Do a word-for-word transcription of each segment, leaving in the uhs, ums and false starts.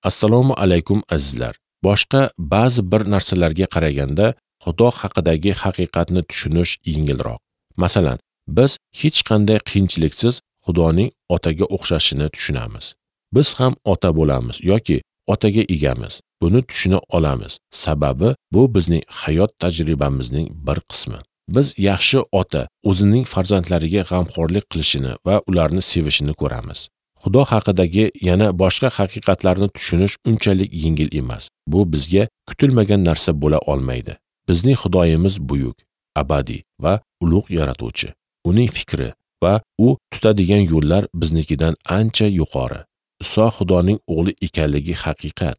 Assalomu alaykum azizlar. Boshqa ba'zi bir narsalarga qaraganda Xudo haqidagi haqiqatni tushunish yengilroq. Masalan, biz hech qanday qiyinchiliksiz Xudoning otaga o'xshashini tushunamiz. Biz ham ota bo'lamiz yoki otaga egamiz. Buni tushuna olamiz. Sababi bu bizning hayot tajribamizning bir qismi. Biz yaxshi ota o'zining farzandlariga g'amxo'rlik qilishini va ularni sevishini ko'ramiz. Xudo haqidagi yana boshqa haqiqatlarni tushunish unchalik yengil emas. Bu bizga kutilmagan narsa bo'la olmaydi. Bizning Xudoyimiz buyuk, abadiy va ulug' yaratuvchi. Uning fikri va u tutadigan yo'llar biznikidan ancha yuqori. Iso Xudoning o'g'li ekanligi haqiqat.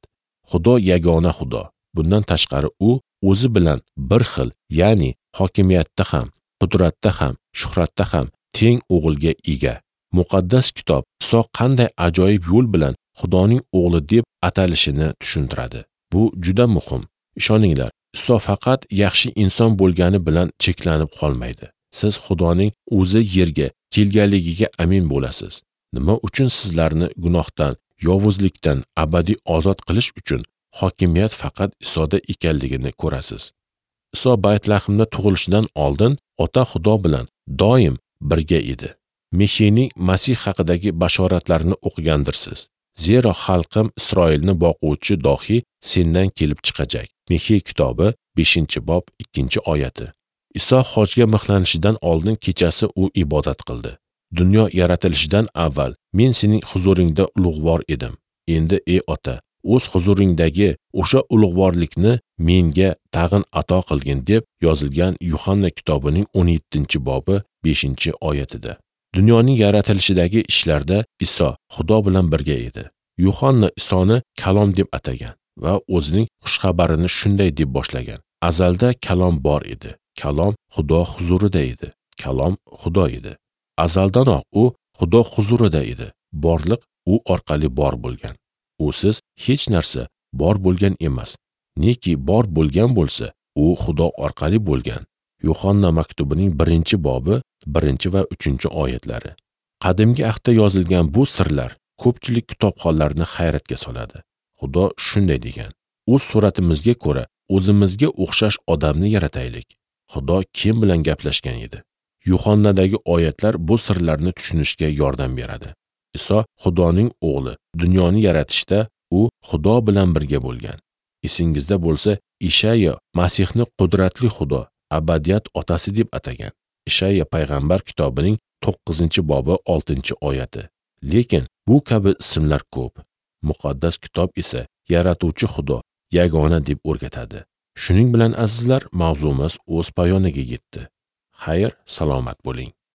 Xudo yagona Xudo. Bundan tashqari u o'zi bilan bir xil, ya'ni hokimiyatda ham, qudratda ham, shuhratda ham teng o'g'ilga ega. Muqaddas kitob Iso qanday ajoyib yo'l bilan Xudoning o'g'li deb atalishini tushuntiradi. Bu juda muhim. Ishoninglar, Iso faqat yaxshi inson bo'lgani bilan cheklanib qolmaydi. Siz Xudoning o'zi yerga kelganligiga amin bo'lasiz. Nima uchun sizlarni gunohdan, yovuzlikdan abadiy ozod qilish uchun hokimiyat faqat Isoda ekanligini ko'rasiz. Iso Baytlahimda tug'ilishidan oldin ota Xudo bilan doim birga edi. Mixeyning Masih haqidagi bashoratlarini o'qigandirsiz. Zero xalqim Isroilni boquvchi dohi sendan kelib chiqajak. Mixey kitobi beshinchi bob ikkinchi oyati. Iso hojga mixlanishidan oldin kechasi u ibodat qildi. Dunyo yaratilishidan avval men sening huzuringda ulug'vor edim. Endi ey ota, o'z huzuringdagi o'sha ulug'vorlikni menga tag'in ato qilgin deb yozilgan Yuhanna kitobining o'n yettinchi bobi beshinchi oyatida. Dunyoning yaratilishidagi ishlarda Iso Xudo bilan birga edi. Yuhanna Isoni Kalom deb atagan va o'zining xushxabarini shunday deb boshlagan: Azalda Kalom bor edi. Kalom Xudo huzurida edi. Kalom Xudo edi. Azaldanoq u Xudo huzurida edi. Borliq u orqali bor bo'lgan. Usiz hech narsa bor bo'lgan emas. Neki bor bo'lgan bo'lsa, u Xudo orqali bo'lgan. Yuhanna maktubining birinchi bobi birinchi va uchinchi oyatlari. Qadimgi ahdda yozilgan bu sirlar ko'pchilik kitobxonlarni hayratga soladi. Xudo shunday degan: O'z suratimizga ko'ra o'zimizga o'xshash odamni yarataylik. Xudo kim bilan gaplashgan edi? Yuhannadagi oyatlar bu sirlarni tushunishga yordam beradi. Iso Xudoning o'g'li, dunyoni yaratishda u Xudo bilan birga bo'lgan. Esingizda bo'lsa, Ishaya Masihni qudratli Xudo, abadiyat otasi deb atagan. Ishaya payg'ambar kitobining to'qqizinchi bobi oltinchi oyati. Lekin bu kabi ismlar ko'p. Muqaddas kitob esa yaratuvchi Xudo yagona deb o'rgatadi. Shuning bilan azizlar, mavzumiz o'z poyoniga yetdi. Xayr, salomat bo'ling.